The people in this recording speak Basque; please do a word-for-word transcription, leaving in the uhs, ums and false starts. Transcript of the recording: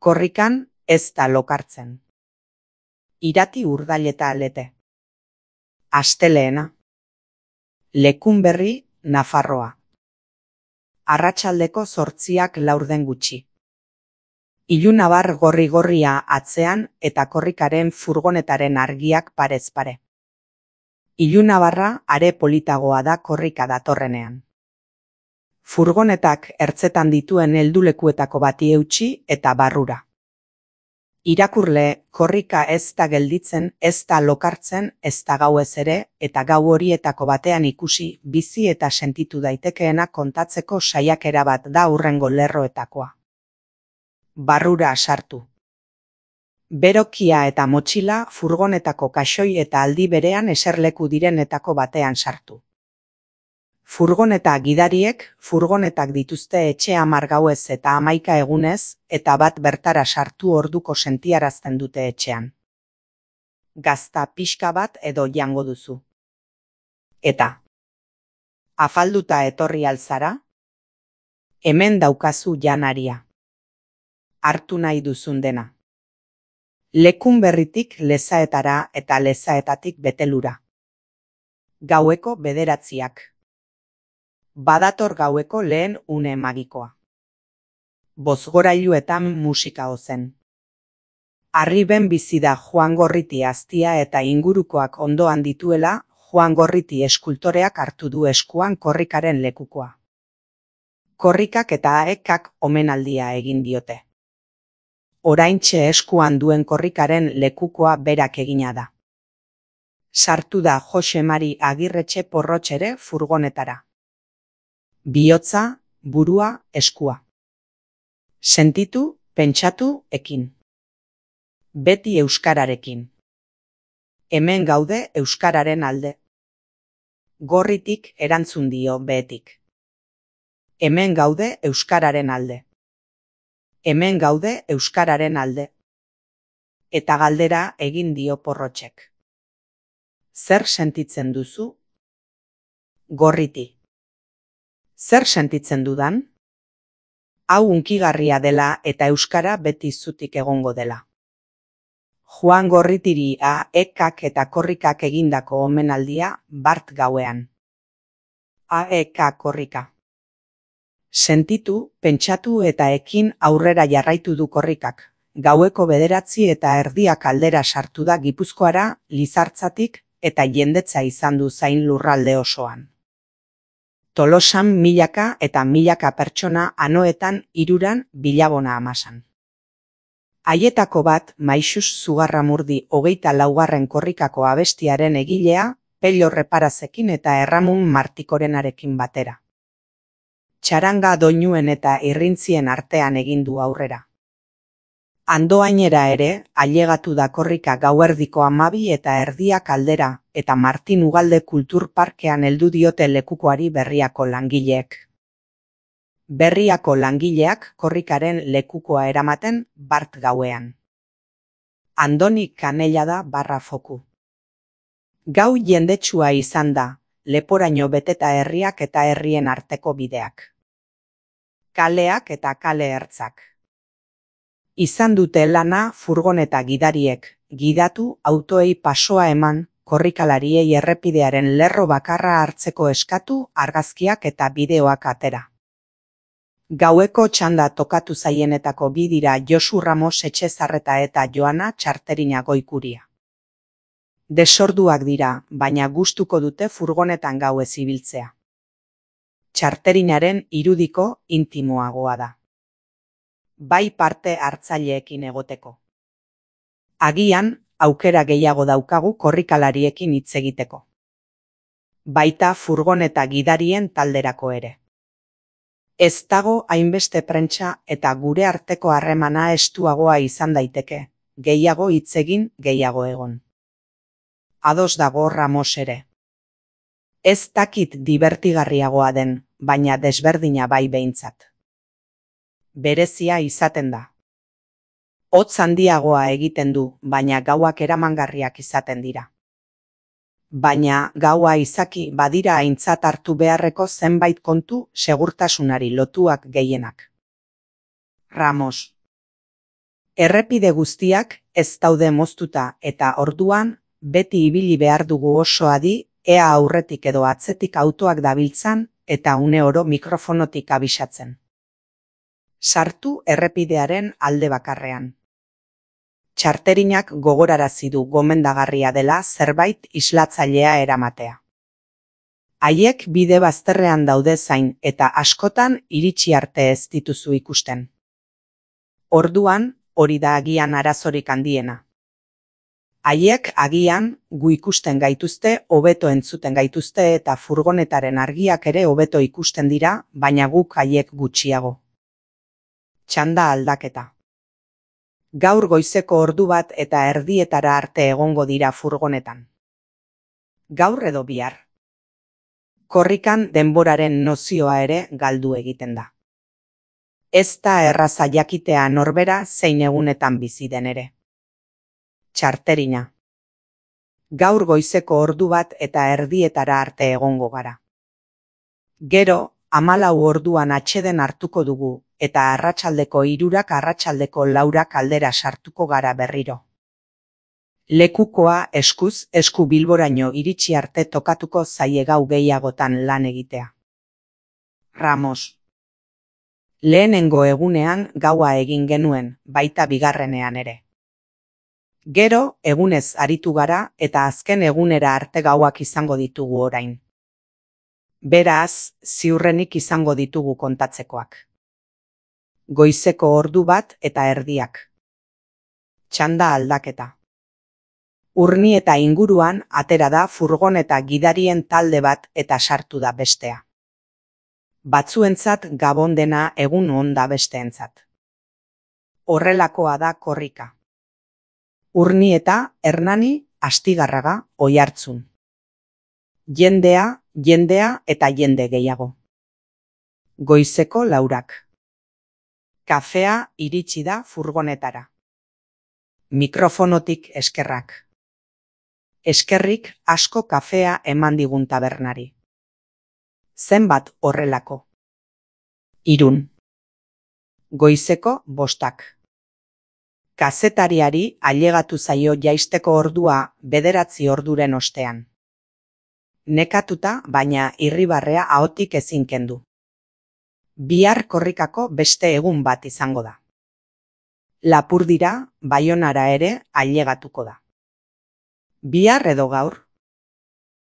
Korrikan ez da lokartzen. Irati urdaileta lete. Asteleena. Lekunberri, Nafarroa. Arratsaldeko zortziak laurden gutxi. Ilunabar gorri-gorria atzean eta korrikaren furgonetaren argiak parez pare. Ilunabarra are politagoa da korrika datorrenean. Furgonetak ertzetan dituen heldulekuetako bati eutsi eta barrura. Irakurle, korrika ez da gelditzen, ez da lokartzen, ez da gauez ere, eta gau horietako batean ikusi, bizi eta sentitu daitekeena kontatzeko saiakera bat da hurrengo lerroetakoa. Barrura sartu. Berokia eta motxila furgonetako kaxoi eta aldi berean eserleku direnetako batean sartu. Furgoneta gidariek furgonetak dituzte etxe hamar gauez eta hamaika egunez, eta bat bertara sartu orduko sentiarazten dute etxean. Gazta pixka bat edo jango duzu. Eta, afalduta etorri alzara? Hemen daukazu janaria. Hartu nahi duzun dena. Lekunberritik Lezaetara eta Lezaetatik Betelura. Gaueko bederatziak. Badator gaueko lehen une magikoa. Bozgorailuetan musika ozen. Arriben bizi da Juan Gorriti aztia eta ingurukoak ondoan dituela, Juan Gorriti eskultoreak hartu du eskuan korrikaren lekukoa. Korrikak eta aekak omenaldia egin diote. Oraintxe eskuan duen korrikaren lekukoa berak egina da. Sartu da Jose Mari Agirretxe Porrotxere furgonetara. Bihotza, burua, eskua. Sentitu, pentsatu, ekin. Beti euskararekin. Hemen gaude euskararen alde. Gorritik erantzun dio behetik. Hemen gaude euskararen alde. Hemen gaude euskararen alde. Eta galdera egin dio Porrotxek. Zer sentitzen duzu? Gorriti. Zer sentitzen dudan? Hau hunkigarria dela eta euskara beti zutik egongo dela. Juan Gorritiri aekak eta korrikak egindako omenaldia bart gauean. Aek korrika. Sentitu, pentsatu eta ekin aurrera jarraitu du korrikak. Gaueko bederatzi eta erdiak aldera sartu da Gipuzkoara, Lizartzatik, eta jendetza izan du zain lurralde osoan. Tolosan milaka eta milaka pertsona anoetan hiruran bilabona amasan. Haietako bat Maixus Zugarramurdi hogeita laugarren korrikako abestiaren egilea, Pello Reparazekin eta Erramun Martikorenarekin batera. Txaranga doinuen eta irrintzien artean egin du aurrera. Andoainera ere, ailegatu da korrika gauerdiko hamabi eta erdiak aldera, eta Martin Ugalde Kulturparkean heldu diote lekukoari Berriako langileek. Berriako langileak korrikaren lekukoa eramaten bart gauean. Andoni Kanella da barra foku. Gau jendetsua izan da, leporaino beteta herriak eta herrien arteko bideak. Kaleak eta kale ertzak. Izan dute lana furgoneta gidariek, gidatu autoei pasoa eman, korrikalariei errepidearen lerro bakarra hartzeko eskatu, argazkiak eta bideoak atera. Gaueko txanda tokatu zaienetako bi dira Josu Ramos Etxezarreta eta Joana Txarterina Goikuria. Desorduak dira, baina gustuko dute furgonetan gauez ibiltzea. Txarterinaren irudiko intimoagoa da. Bai parte hartzaileekin egoteko. Agian, aukera gehiago daukagu korrikalariekin hitz egiteko. Baita furgoneta gidarien talderako ere. Ez dago hainbeste prentsa eta gure arteko harremana estuagoa izan daiteke, gehiago hitz egin, gehiago egon. Ados dago Ramos ere. Ez dakit dibertigarriagoa den, baina desberdina bai behintzat. Berezia izaten da. Hotz handiagoa egiten du, baina gauak eramangarriak izaten dira. Baina gaua izaki badira aintzat hartu beharreko zenbait kontu segurtasunari lotuak gehienak. Ramos. Errepide guztiak ez daude moztuta eta orduan beti ibili behar dugu oso adi ea aurretik edo atzetik autoak dabiltzan eta une oro mikrofonotik abisatzen. Sartu errepidearen alde bakarrean. Txarterinak gogorarazi du gomendagarria dela zerbait islatzailea eramatea. Haiek bide bazterrean daude zain eta askotan iritsi arte ez dituzu ikusten. Orduan, hori da agian arazorik handiena. Haiek agian gu ikusten gaituzte, hobeto entzuten gaituzte eta furgonetaren argiak ere hobeto ikusten dira, baina guk haiek gutxiago. Txanda aldaketa. Gaur goizeko ordu bat eta erdietara arte egongo dira furgonetan. Gaur edo bihar. Korrikan denboraren nozioa ere galdu egiten da. Ez da erraza jakitea norbera zein egunetan bizi den ere. Txarterina. Gaur goizeko ordu bat eta erdietara arte egongo gara. Gero, hamalau orduan atseden hartuko dugu eta arratsaldeko hirurak arratsaldeko laurak aldera sartuko gara berriro. Lekukoa eskuz esku Bilboraino iritsi arte tokatuko zaie gau gehiagotan lan egitea. Ramos. Lehenengo egunean gaua egin genuen, baita bigarrenean ere. Gero, egunez aritu gara eta azken egunera arte gauak izango ditugu orain. Beraz, ziurrenik izango ditugu kontatzekoak. Goizeko ordu bat eta erdiak. Txanda aldaketa. Urni eta inguruan atera da furgoneta gidarien talde bat eta sartu da bestea. Batzuentzat gabon dena egun on da besteentzat. Horrelakoa da korrika. Urni eta Hernani Astigarraga Oiartzun. Jendea, jendea eta jende gehiago. Goizeko laurak. Kafea iritsi da furgonetara. Mikrofonotik eskerrak. Eskerrik asko kafea eman digun tabernari. Zenbat horrelako. Irun. Goizeko bostak. Kazetariari ailegatu zaio jaisteko ordua bederatzi orduren ostean. Nekatuta, baina irribarrea ahotik ezin kendu. Bihar korrikako beste egun bat izango da. Lapurdira, Baionara ere ailegatuko da. Bihar edo gaur,